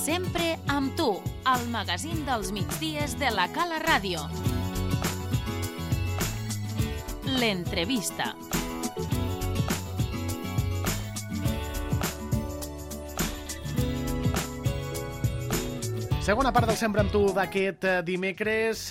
Sempre amb tu, al magazín dels migdies de la Cala Ràdio. L'entrevista. Segona part del Sempre amb tu d'aquest dimecres,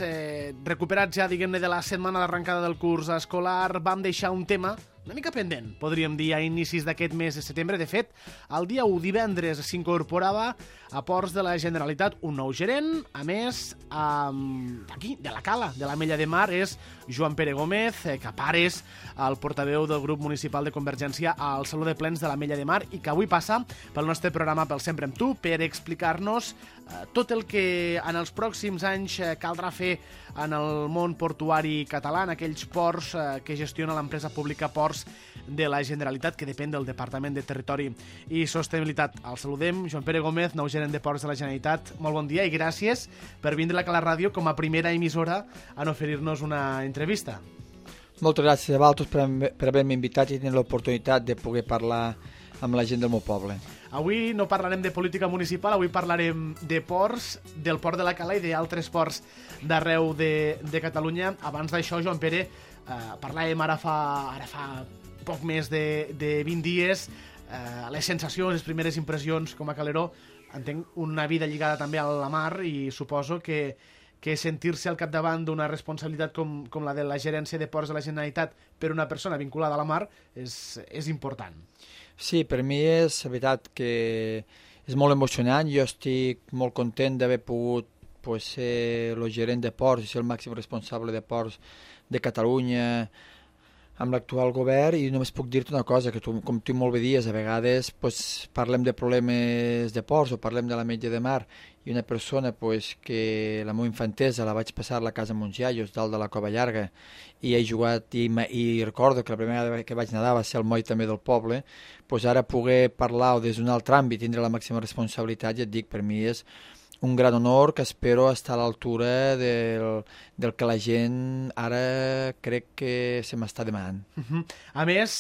recuperats ja, diguem-ne, de la setmana d'arrencada del curs escolar, vam deixar un tema una mica pendent, podríem dir, a inicis d'aquest mes de setembre. De fet, el dia 1, divendres, s'incorporava a Ports de la Generalitat un nou gerent. A més, aquí, de la Cala, de l'Ametlla de Mar, és Joan Pere Gómez, que a part és el portaveu del grup municipal de Convergència al Saló de Plens de l'Ametlla de Mar i que avui passa pel nostre programa, pel Sempre amb tu, per explicar-nos tot el que en els pròxims anys caldrà fer en el món portuari català, en aquells ports que gestiona l'empresa pública Ports de la Generalitat, que depèn del Departament de Territori i Sostenibilitat. El saludem, Joan Pere Gómez, nou gerent de Ports de la Generalitat. Molt bon dia i gràcies per vindre a la Ràdio com a primera emissora en oferir-nos una entrevista. Moltes gràcies a vosaltres per haver-me invitat i tenir l'oportunitat de poder parlar amb la gent del meu poble. Avui no parlarem de política municipal, avui parlarem de ports, del port de la Cala i d'altres ports d'arreu de Catalunya. Abans d'això, Joan Pere, parlàvem ara fa poc més de 20 dies, les sensacions, les primeres impressions com a caleró. Entenc una vida lligada també a la mar i suposo que sentir-se al capdavant d'una responsabilitat com la de la gerència de Ports de la Generalitat per una persona vinculada a la mar és important. Sí, per mi és veritat que és molt emocionant. Jo estic molt content d'haver pogut ser el gerent de Ports i ser el màxim responsable de Ports de Catalunya amb l'actual govern, i només puc dir-te una cosa, que com tu molt bé dius, a vegades parlem de problemes de ports o parlem de l'Ametlla de Mar, i una persona que la meva infantesa la vaig passar a la casa Montsiaios, dalt de la Cova Llarga, i he jugat, i recordo que la primera vegada que vaig nedar va ser al moll també del poble, ara poder parlar des d'un altre àmbit, tindre la màxima responsabilitat, ja et dic, per mi és un gran honor que espero estar a l'altura del que la gent ara crec que se m'està demanant. A més,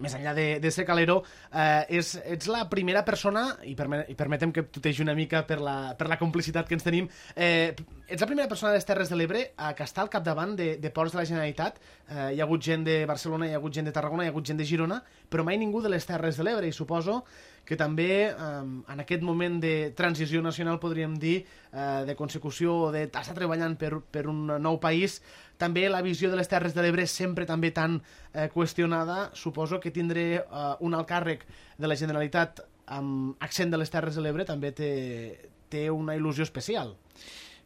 més enllà de ser calero, ets la primera persona, i permetem que tutegi una mica per la complicitat que ens tenim, ets la primera persona de les Terres de l'Ebre que està al capdavant de Ports de la Generalitat. Hi ha hagut gent de Barcelona, hi ha hagut gent de Tarragona, hi ha hagut gent de Girona, però mai ningú de les Terres de l'Ebre, i suposo que també en aquest moment de transició nacional, podríem dir, de consecució o d'estar treballant per un nou país, també la visió de les Terres de l'Ebre sempre també tan qüestionada. Suposo que tindré un alt càrrec de la Generalitat amb accent de les Terres de l'Ebre també té una il·lusió especial.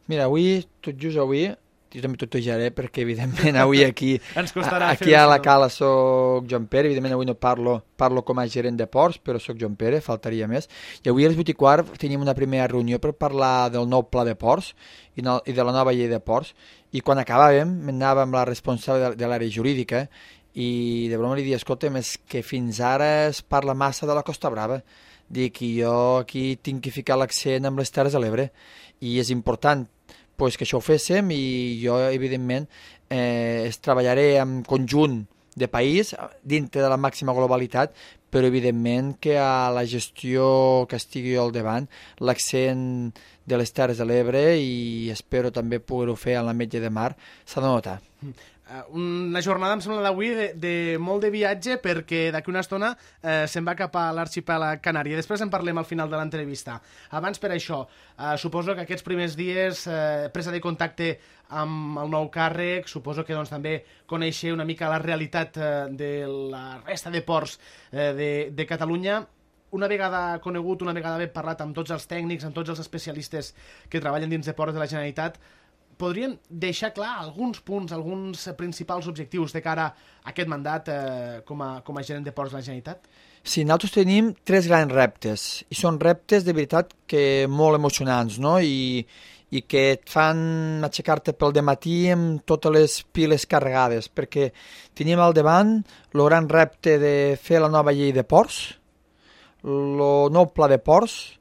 Mira, avui, tot just avui, jo també tutejaré perquè evidentment avui aquí aquí a la Cala soc Joan Pere, evidentment avui no parlo com a gerent de ports, però soc Joan Pere, faltaria més, i avui a les 8:15 tenim una primera reunió per parlar del nou pla de ports i de la nova llei de ports, i quan acabàvem anàvem amb la responsable de l'àrea jurídica i de broma li dic, escolta'm, és que fins ara es parla massa de la Costa Brava, dic, i jo aquí tinc que ficar l'accent amb les Terres de l'Ebre i és important que això ho féssim, i jo evidentment treballaré en conjunt de país dintre de la màxima globalitat, però evidentment que a la gestió que estigui jo al davant l'accent de les Terres de l'Ebre, i espero també poder-ho fer a l'Ametlla de Mar, s'ha de notar. Una jornada, em sembla, d'avui de molt de viatge, perquè d'aquí una estona se'n va cap a l'arxipèlag Canari. Després en parlem al final de l'entrevista. Abans, per això, suposo que aquests primers dies, presa de contacte amb el nou càrrec, suposo que també conèixer una mica la realitat de la resta de ports de Catalunya. Una vegada conegut, una vegada haver parlat amb tots els tècnics, amb tots els especialistes que treballen dins de Ports de la Generalitat, podrien deixar clar alguns punts, alguns principals objectius de cara a aquest mandat com a gerent de Ports de la Generalitat? Sí, nosaltres tenim 3 grans reptes, i són reptes de veritat que molt emocionants, no? I que et fan aixecar-te pel dematí amb totes les piles carregades, perquè tenim al davant el gran repte de fer la nova llei de ports, el nou pla de ports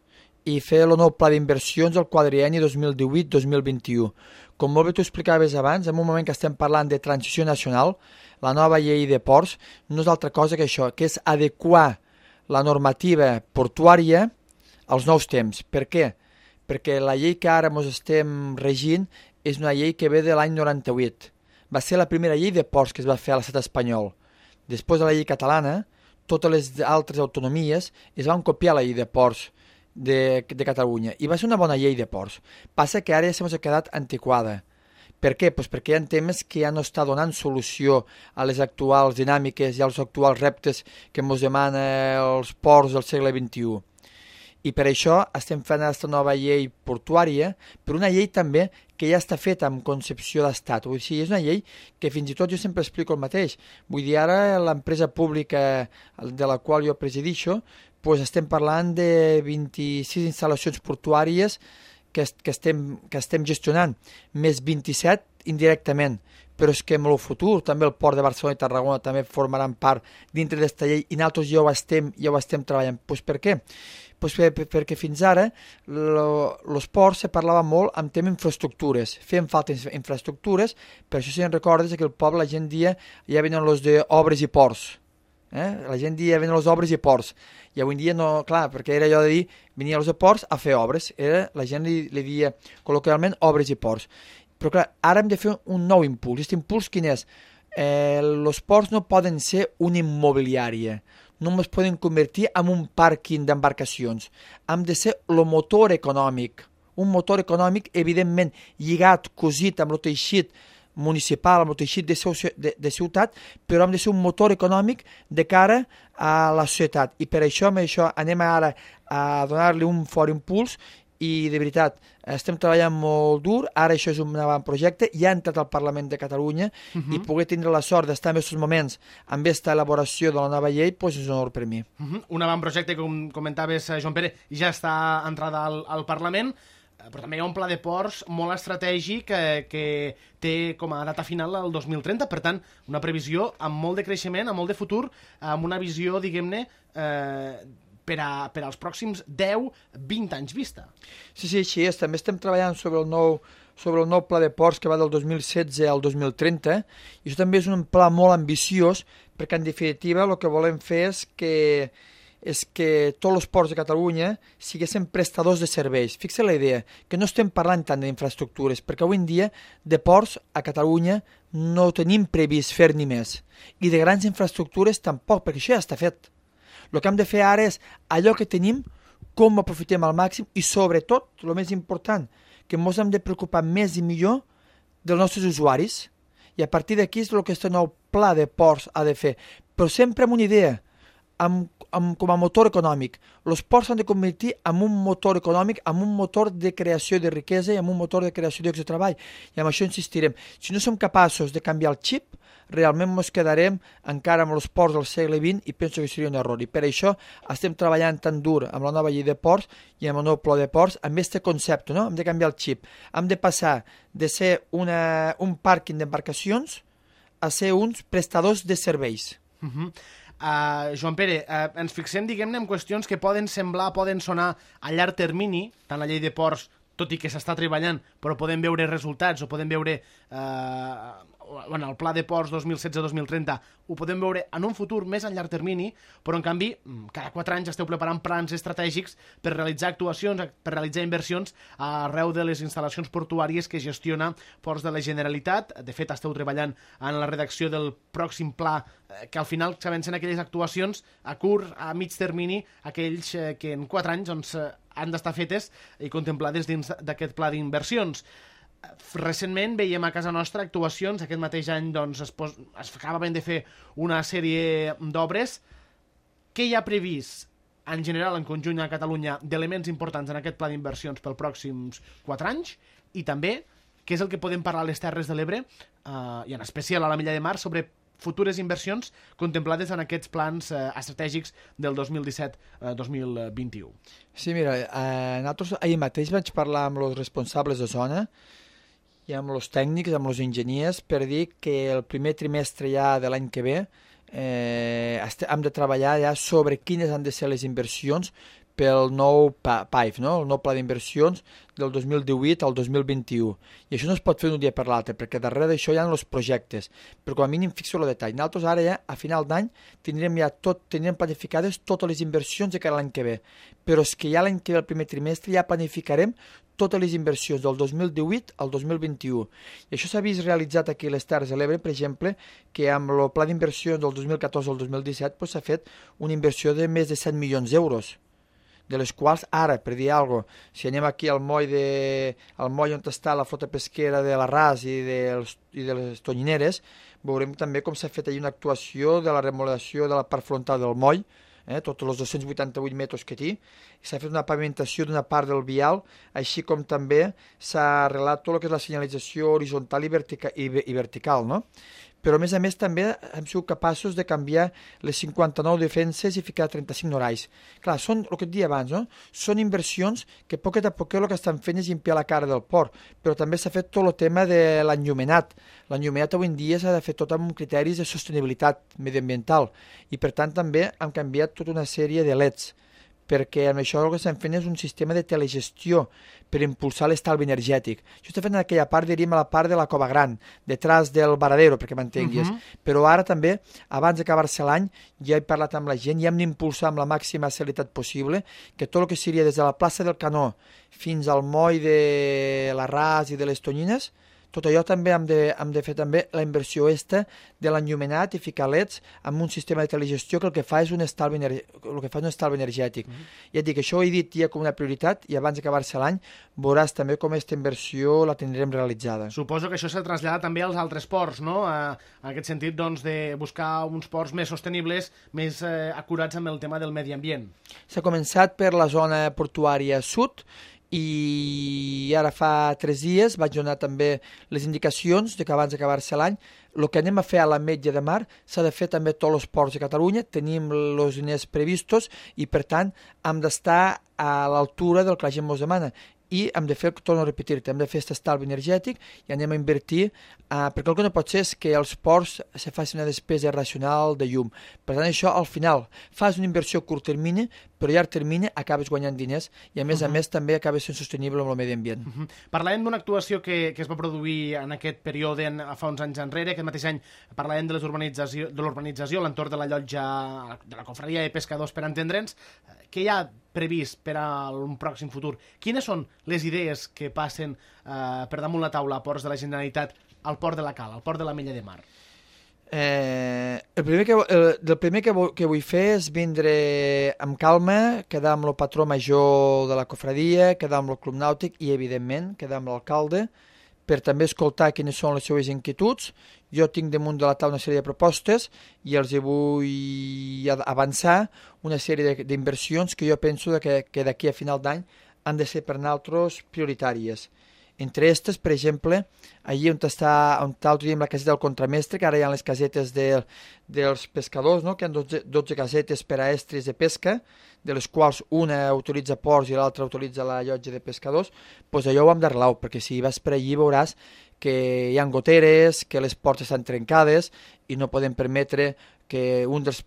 i fer el nou pla d'inversions del quadrienni 2018-2021. Com molt bé t'ho explicaves abans, en un moment que estem parlant de transició nacional, la nova llei de ports no és altra cosa que això, que és adequar la normativa portuària als nous temps. Per què? Perquè la llei que ara ens estem regint és una llei que ve de l'any 98. Va ser la primera llei de ports que es va fer a l'estat espanyol. Després de la llei catalana, totes les altres autonomies es van copiar la llei de ports de Catalunya i va ser una bona llei de ports. Passa que ara ja s'ha quedat antiquada. Per què? Pues perquè hi ha temes que ja no està donant solució a les actuals dinàmiques i als actuals reptes que ens demana els ports del segle XXI. I per això estem fent aquesta nova llei portuària, però una llei també que ja està feta amb concepció d'estat. Vull dir, és una llei que fins i tot jo sempre explico el mateix. Vull dir, ara l'empresa pública de la qual jo presidixo, pues estem parlant de 26 instal·lacions portuàries que estem gestionant, més 27 indirectament. Però és que en el futur també el Port de Barcelona i Tarragona també formaran part dintre d'aquesta llei i nosaltres ja ho estem treballant. Pues per què? Pues perquè fins ara els ports se parlava molt amb tema infraestructures. Feien falta infraestructures, per això si en recordes que el poble la gent dia ja venen els d'obres i ports. La gent dia venen les obres i ports. I avui en dia no, clar, perquè era allò de dir venia els de ports a fer obres. La gent li dia col·loquialment obres i ports. Però clar, ara hem de fer un nou impuls. Aquest impuls quin és? Els ports no poden ser una immobiliària. No es poden convertir en un pàrquing d'embarcacions. Hem de ser el motor econòmic. Un motor econòmic, evidentment, lligat, cosit amb el teixit municipal, amb el teixit de ciutat, però hem de ser un motor econòmic de cara a la societat. I per això, amb això anem ara a donar-li un fort impuls i, de veritat, estem treballant molt dur. Ara això és un avantprojecte, ja ha entrat al Parlament de Catalunya i poder tindre la sort d'estar en aquests moments amb aquesta elaboració de la nova llei doncs és un honor per mi. Un avantprojecte, com comentaves, Joan Pere, ja està entrada al Parlament, però també hi ha un pla de ports molt estratègic que té com a data final el 2030, per tant, una previsió amb molt de creixement, amb molt de futur, amb una visió, diguem-ne, per als pròxims 10-20 anys vista. Sí, així és. També estem treballant sobre el nou pla de ports que va del 2016 al 2030, i això també és un pla molt ambiciós, perquè en definitiva el que volem fer és que tots els ports de Catalunya siguessin prestadors de serveis. Fixa la idea, que no estem parlant tant d'infraestructures, perquè avui en dia de ports a Catalunya no tenim previst fer ni més. I de grans infraestructures tampoc, perquè això ja està fet. El que hem de fer ara és allò que tenim, com ho aprofitem al màxim i sobretot, el més important, que ens hem de preocupar més i millor dels nostres usuaris. I a partir d'aquí és el que aquest nou pla de ports ha de fer. Però sempre amb una idea, com a motor econòmic. Els ports s'han de convertir en un motor econòmic, en un motor de creació de riquesa i en un motor de creació de llocs de treball. I amb això insistirem. Si no som capaços de canviar el xip, realment ens quedarem encara amb els ports del segle XX i penso que seria un error. I per això estem treballant tan dur amb la nova llei de ports i amb el nou pla de ports, amb aquest concepte, no? Hem de canviar el xip. Hem de passar de ser un pàrquing d'embarcacions a ser uns prestadors de serveis. Joan Pere, ens fixem, diguem-ne, en qüestions que poden sonar a llarg termini, tant la llei de ports, tot i que s'està treballant, però podem veure resultats o podem veure el pla de ports 2016-2030, ho podem veure en un futur més a llarg termini, però en canvi cada 4 anys esteu preparant plans estratègics per realitzar actuacions, per realitzar inversions arreu de les instal·lacions portuàries que gestiona Ports de la Generalitat. De fet, esteu treballant en la redacció del pròxim pla que al final s'avancen aquelles actuacions a curt, a mig termini, aquells que en 4 anys han d'estar fetes i contemplades dins d'aquest pla d'inversions. Recentment veiem a casa nostra actuacions, aquest mateix any es acabaven de fer una sèrie d'obres. Què hi ha previst en general en conjunt a Catalunya d'elements importants en aquest pla d'inversions pels pròxims 4 anys? I també, què és el que podem parlar a les Terres de l'Ebre i en especial a la Milla de Mar sobre futures inversions contemplades en aquests plans estratègics del 2017-2021? Sí, mira, nosaltres ahir mateix vaig parlar amb els responsables de zona i amb els tècnics, amb els enginyers, per dir que el primer trimestre ja de l'any que ve hem de treballar ja sobre quines han de ser les inversions pel nou PAIF, no? El nou pla d'inversions del 2018 al 2021. I això no es pot fer d'un dia per l'altre, perquè darrere d'això hi ha els projectes, però com a mínim fixo el detall. Nosaltres ara ja, a final d'any, tindrem planificades totes les inversions de cara a l'any que ve, però és que ja l'any que ve, el primer trimestre, ja planificarem totes les inversions del 2018 al 2021. I això s'ha vist realitzat aquí a les Terres de l'Ebre, per exemple, que amb el pla d'inversions del 2014 al 2017 s'ha fet una inversió de més de 100 milions d'euros, de les quals ara, per dir alguna cosa, si anem aquí al moll on està la flota pesquera de l'Arràs i de les Tonyineres, veurem també com s'ha fet allà una actuació de la remodelació de la part frontal del moll, tots els 288 metres que té, s'ha fet una pavimentació d'una part del vial, així com també s'ha arreglat tot el que és la senyalització horitzontal i vertical, no? Però a més també hem sigut capaços de canviar les 59 defenses i ficar 35 norais. Clar, són el que et deia abans, no? Són inversions que poquet a poquet el que estan fent és limpiar la cara del port, però també s'ha fet tot el tema de l'enllumenat. L'enllumenat avui en dia s'ha de fer tot amb criteris de sostenibilitat mediambiental i per tant també hem canviat tota una sèrie de LEDs, perquè amb això el que estem fent és un sistema de telegestió per impulsar l'estalvi energètic. Això està fent en aquella part, diríem, a la part de la Cova Gran, detrás del Varadero, perquè m'entenguis. Però ara també, abans d'acabar-se l'any, ja he parlat amb la gent i hem d'impulsar amb la màxima celeritat possible que tot el que seria des de la plaça del Canó fins al moll de l'Arràs i de les Tonyines, tot allò també hem de fer també la inversió de l'enllumenat i ficar LEDs amb un sistema de telegestió que el que fa és un estalvi energètic. Ja et dic, això ho he dit ja com una prioritat i abans d'acabar-se l'any veuràs també com aquesta inversió la tindrem realitzada. Suposo que això s'ha traslladat també als altres ports, no? En aquest sentit, doncs, de buscar uns ports més sostenibles, més acurats amb el tema del medi ambient. S'ha començat per la zona portuària sud i ara fa 3 dies vaig donar també les indicacions de que abans d'acabar-se l'any el que anem a fer a l'Ametlla de Mar s'ha de fer també a tots els ports de Catalunya, tenim els diners previstos i per tant hem d'estar a l'altura del que la gent ens demana i hem de fer, torno a repetir-te, hem de fer aquest estalvi energètic i anem a invertir, perquè el que no pot ser és que els ports se faci una despesa racional de llum. Per tant, això al final fas una inversió a curt termini, però a llarg termini acabes guanyant diners i a més també acabes sent sostenible amb el medi ambient. Parlàvem d'una actuació que es va produir en aquest període fa uns anys enrere, aquest mateix any parlàvem de l'urbanització a l'entorn de la llotja de la confraria de pescadors, per entendre'ns. Què hi ha previst per a un pròxim futur? Quines són les idees que passen per damunt la taula a ports de la Generalitat al port de la Cala, al port de l'Ametlla de Mar? El primer que vull fer és vindre amb calma, quedar amb el patró major de la cofradia, quedar amb el club nàutic i, evidentment, quedar amb l'alcalde per també escoltar quines són les seves inquietuds. Jo tinc damunt de la taula una sèrie de propostes i els vull avançar una sèrie d'inversions que jo penso que d'aquí a final d'any han de ser per nosaltres prioritàries. Entre aquestes, per exemple, allí on tenim la caseta del contramestre, que ara hi ha les casetes dels pescadors, no? Que hi ha 12 casetes per a estris de pesca, de les quals una utilitza ports i l'altra utilitza la llotja de pescadors, doncs allò ho hem d'arreglar, perquè si vas per allí veuràs que hi ha goteres, que les portes estan trencades i no podem permetre que un dels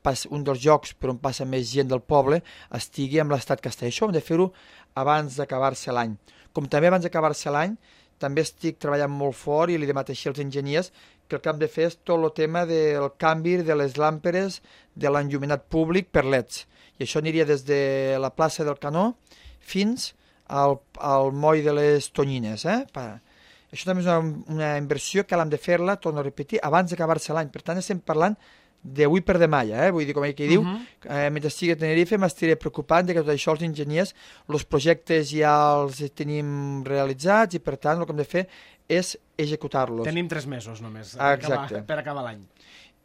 llocs per on passa més gent del poble estigui en l'estat que està. Això hem de fer-ho abans d'acabar-se l'any. Com també abans d'acabar-se l'any, també estic treballant molt fort i li demat així als enginyers que el que hem de fer és tot el tema del canvi de les làmperes de l'enllumenat públic per LEDs. I això aniria des de la plaça del Canó fins al moll de les Tonyines. Això també és una inversió que l'hem de fer-la, torno a repetir, abans d'acabar-se l'any. Per tant, estem parlant d'avui per demà, vull dir, com ell que diu, mentre estigui a Tenerife m'estiré preocupant de que tot això els enginyers, els projectes ja els tenim realitzats i per tant el que hem de fer és executar-los. Tenim 3 mesos només per acabar l'any.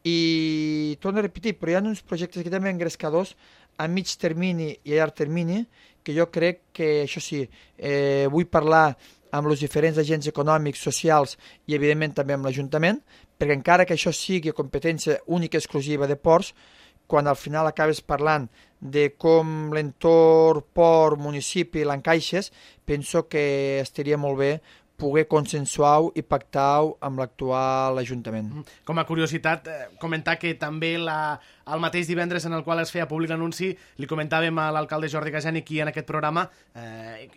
I torno a repetir, però hi ha uns projectes que també engrescadors a mig termini i a llarg termini que jo crec que, això sí, vull parlar amb els diferents agents econòmics, socials i evidentment també amb l'Ajuntament, perquè encara que això sigui competència única i exclusiva de ports, quan al final acabes parlant de com l'entorn, port, municipi l'encaixes, penso que estaria molt bé poder consensuar i pactar amb l'actual Ajuntament. Com a curiositat, comentar que també el mateix divendres en el qual es feia públic l'anunci, li comentàvem a l'alcalde Jordi Gajani aquí en aquest programa,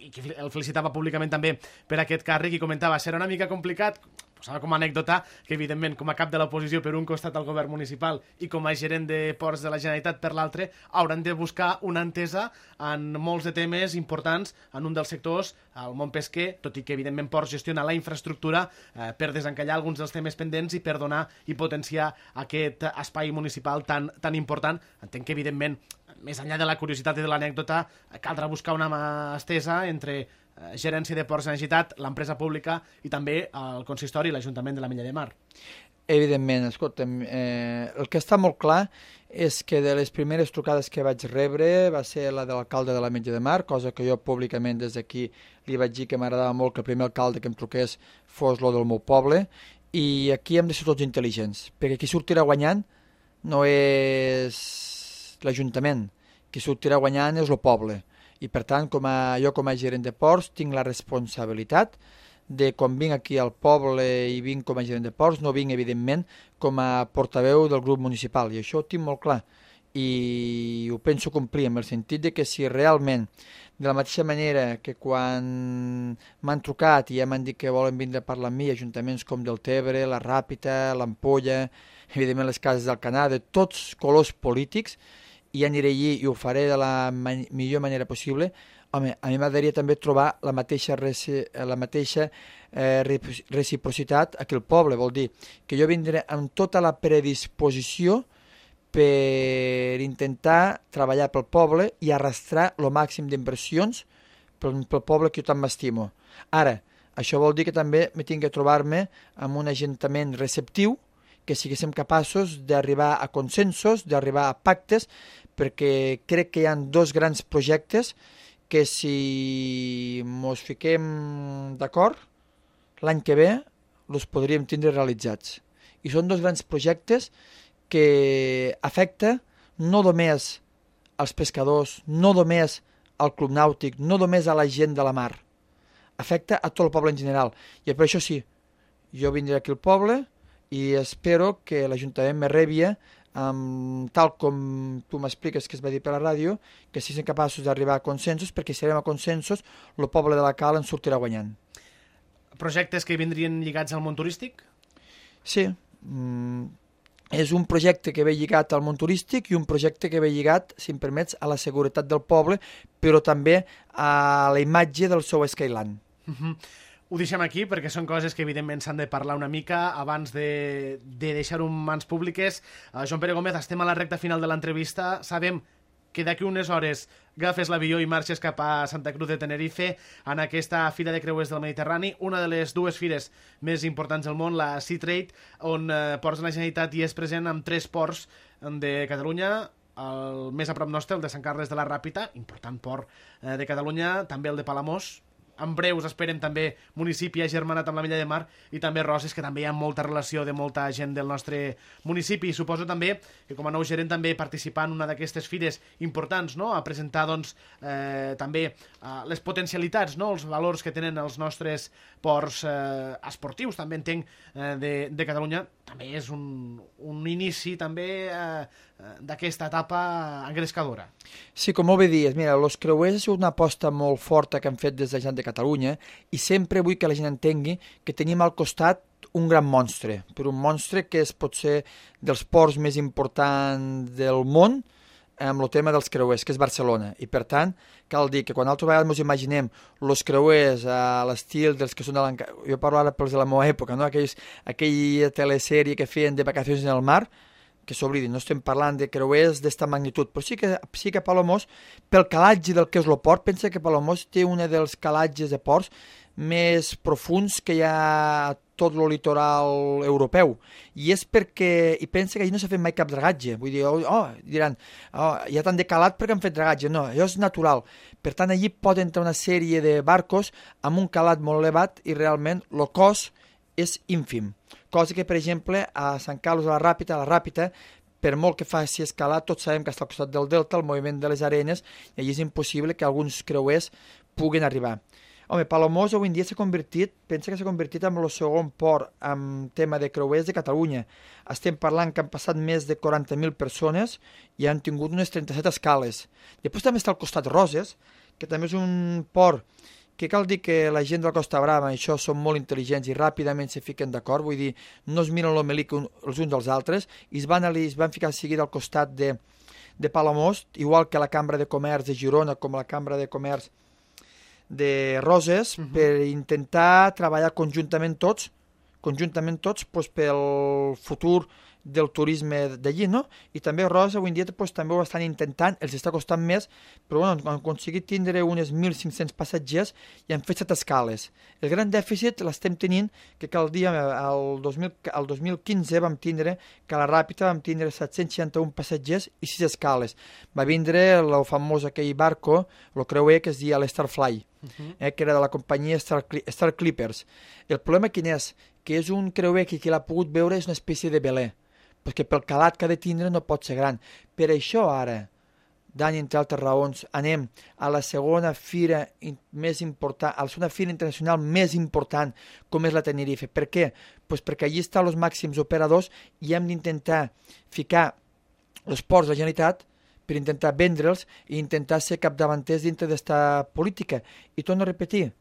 i que el felicitava públicament també per aquest càrrec, i comentava, serà una mica complicat, posava com a anècdota que, evidentment, com a cap de l'oposició per un costat al govern municipal i com a gerent de ports de la Generalitat per l'altre, hauran de buscar una entesa en molts de temes importants en un dels sectors, el món pesquer, tot i que, evidentment, Ports gestiona la infraestructura per desencallar alguns dels temes pendents i per donar i potenciar aquest espai municipal tan important. Entenc que, evidentment, més enllà de la curiositat i de l'anècdota, caldrà buscar una mà estesa entre Gerència de Ports de la Generalitat, l'empresa pública i també el consistori i l'Ajuntament de la Mella de Mar. Evidentment, escolta'm, el que està molt clar és que de les primeres trucades que vaig rebre va ser la de l'alcalde de la Mella de Mar, cosa que jo públicament des d'aquí li vaig dir que m'agradava molt que el primer alcalde que em truqués fos lo del meu poble, i aquí hem de ser tots intel·ligents, perquè qui sortirà guanyant no és l'Ajuntament, qui sortirà guanyant és el poble. I per tant, jo com a gerent de ports tinc la responsabilitat de quan vinc aquí al poble i vinc com a gerent de ports, no vinc evidentment com a portaveu del grup municipal, i això ho tinc molt clar i ho penso complir, en el sentit de que si realment, de la mateixa manera que quan m'han trucat i ja m'han dit que volen vindre a parlar amb mi, ajuntaments com del Tebre, la Ràpita, l'Ampolla, evidentment les Cases del Canà, de tots colors polítics, i aniré allí i ho faré de la millor manera possible. Home, a mi m'agradaria també trobar la mateixa reciprocitat aquí al poble, vol dir que jo vindré amb tota la predisposició per intentar treballar pel poble i arrastrar el màxim d'inversions pel poble que jo tant m'estimo. Ara, això vol dir que també m'he tinc que trobar-me amb un ajuntament receptiu, que siguéssim capaços d'arribar a consensos, d'arribar a pactes, perquè crec que hi ha dos grans projectes que si mos fiquem d'acord, l'any que ve els podríem tindre realitzats. I són dos grans projectes que afecta no només als pescadors, no només al club nàutic, no només a la gent de la mar, afecta a tot el poble en general. I per això sí, jo vindré aquí al poble i espero que l'Ajuntament me rebia tal com tu m'expliques que es va dir per la ràdio, que siguin capaços d'arribar a consensos, perquè si arribem a consensos el poble de la Cal en sortirà guanyant. Projectes que vindrien lligats al món turístic? Sí, és un projecte que ve lligat al món turístic i un projecte que ve lligat, si em permets, a la seguretat del poble, però també a la imatge del seu Skyland. Ho deixem aquí perquè són coses que evidentment s'han de parlar una mica abans de deixar-ho en mans públiques. Joan Pere Gómez, estem a la recta final de l'entrevista. Sabem que d'aquí unes hores agafes l'avió i marxes cap a Santa Cruz de Tenerife en aquesta Fira de Creuers del Mediterrani, una de les dues fires més importants del món, la Sea Trade, on Ports de la Generalitat hi és present amb 3 ports de Catalunya, el més a prop nostre, el de Sant Carles de la Ràpita, important port de Catalunya, també el de Palamós. En breus esperem també municipi agermanat amb la Mella de Mar, i també Roses, que també hi ha molta relació de molta gent del nostre municipi. I suposo també que com a nou gerent també participar en una d'aquestes fires importants, no? A presentar doncs, també les potencialitats, no? Els valors que tenen els nostres ports esportius, també entenc, de Catalunya. També és un inici també d'aquesta etapa engrescadora. Sí, com molt bé dius, mira, els creuers és una aposta molt forta que han fet des de la gent de Catalunya, i sempre vull que la gent entengui que tenim al costat un gran monstre, però un monstre que és potser dels ports més importants del món amb el tema dels creuers, que és Barcelona. I per tant, cal dir que quan altres vegades ens imaginem els creuers a l'estil dels que són de l'Encantat, jo parlo ara pels de la meva època, no? Aquella telesèrie que feien de vacacions en el mar, que s'oblidin, no estem parlant de creuers d'esta magnitud, però sí que Palamós, pel calatge del que és el port, pensa que Palamós té un dels calatges de ports més profuns que hi ha a tot el litoral europeu, i és perquè, i pensa que allà no s'ha fet mai cap dragatge, vull dir, diran, hi ha tant de calat perquè han fet dragatge, no, allò és natural, per tant allí pot entrar una sèrie de barcos amb un calat molt elevat i realment el cost és ínfim, cosa que per exemple a Sant Carles de la Ràpita, per molt que faci escalar, tots sabem que està al costat del delta, el moviment de les arenes, i allí és impossible que alguns creuers puguen arribar. Home, Palamós avui en dia pensa que s'ha convertit en el segon port en tema de creuers de Catalunya. Estem parlant que han passat més de 40.000 persones i han tingut unes 37 escales. Després també està al costat Roses, que també és un port que cal dir que la gent de la Costa Brava, això són molt intel·ligents i ràpidament se fiquen d'acord, vull dir, no es miren l'omelic els uns dels altres, i es van ficar seguida al costat de Palamós, igual que la Cambra de Comerç de Girona, com la Cambra de Comerç de Roses, per intentar treballar conjuntament tots doncs, pel futur del turisme d'allí, no? I també Roses avui en dia doncs, també ho estan intentant, els està costant més, però bueno, han aconseguit tindre unes 1.500 passatgers i han fet 7 escales. El gran dèficit l'estem tenint que cal dir, el 2015 vam tindre que a la Ràpita vam tindre 761 passatgers i 6 escales. Va vindre el famós aquell barco, el creuer que es deia l'Starfly, que era de la companyia Star Clippers. El problema quin és? Que és un creuer que qui l'ha pogut veure és una espècie de velè, perquè pel calat que ha de tindre no pot ser gran. Per això ara, Dani, entre altres raons, anem a la segona fira més important, a la segona fira internacional més important, com és la Tenerife. Per què? Pues perquè allí estan els màxims operadors i hem d'intentar ficar els ports de la Generalitat per intentar vendre'ls i intentar ser capdavanters dintre d'esta política. I torno a repetir,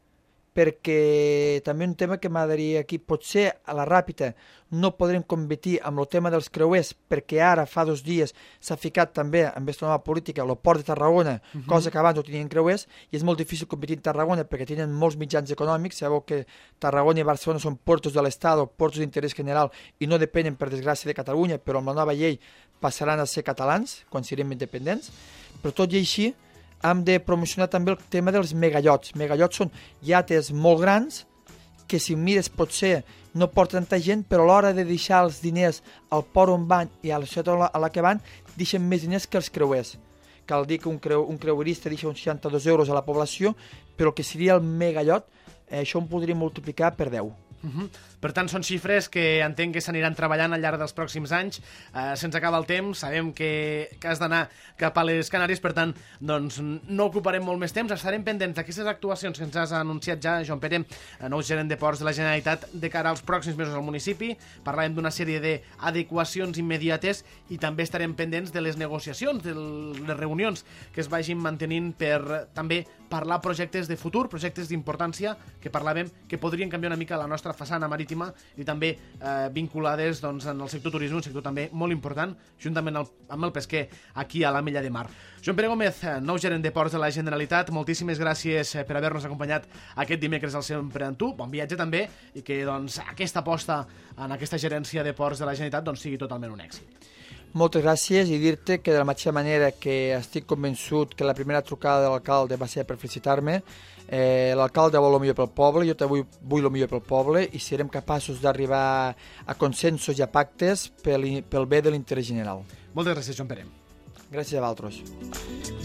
perquè també un tema que m'agradaria aquí, potser a la Ràpita no podrem competir amb el tema dels creuers, perquè ara fa 2 dies s'ha ficat també amb aquesta nova política el port de Tarragona, cosa que abans no tenien creuers, i és molt difícil competir en Tarragona perquè tenen molts mitjans econòmics. Sabeu que Tarragona i Barcelona són portos de l'Estat, portos d'interès general, i no depenen, per desgràcia, de Catalunya, però amb la nova llei passaran a ser catalans quan siguem independents. Però tot i així, hem de promocionar també el tema dels megallots. Megallots són iates molt grans que, si mires, potser no porten tanta gent, però a l'hora de deixar els diners al port on van i a la ciutat a la que van, deixen més diners que els creuers. Cal dir que un creuerista deixa uns 62 euros a la població, però el que seria el megallot, això ho podria multiplicar per 10. Per tant, són xifres que entenc que s'aniran treballant al llarg dels pròxims anys. Se'ns acaba el temps, sabem que has d'anar cap a les Canàries, per tant, doncs, no ocuparem molt més temps. Estarem pendents d'aquestes actuacions que ens has anunciat ja, Joan Pere, nou gerent de Ports de la Generalitat, de cara als pròxims mesos al municipi. Parlàvem d'una sèrie d'adequacions immediates i també estarem pendents de les negociacions, de les reunions que es vagin mantenint per també parlar projectes de futur, projectes d'importància que parlàvem que podrien canviar una mica la nostra façana marítima i també vinculades doncs, en el sector turisme, un sector també molt important, juntament amb el pesquer aquí a la Mella de Mar. Joan Pere Gómez, nou gerent de Ports de la Generalitat, moltíssimes gràcies per haver-nos acompanyat aquest dimecres al Sempre amb tu. Bon viatge també i que doncs, aquesta aposta en aquesta gerència de Ports de la Generalitat doncs, sigui totalment un èxit. Moltes gràcies i dir-te que de la mateixa manera que estic convençut que la primera trucada de l'alcalde va ser per felicitar-me, l'alcalde vol el millor pel poble, jo també vull el millor pel poble i serem capaços d'arribar a consensos i a pactes pel bé de l'interès general. Moltes gràcies, Joan Pere. Gràcies a vosaltres.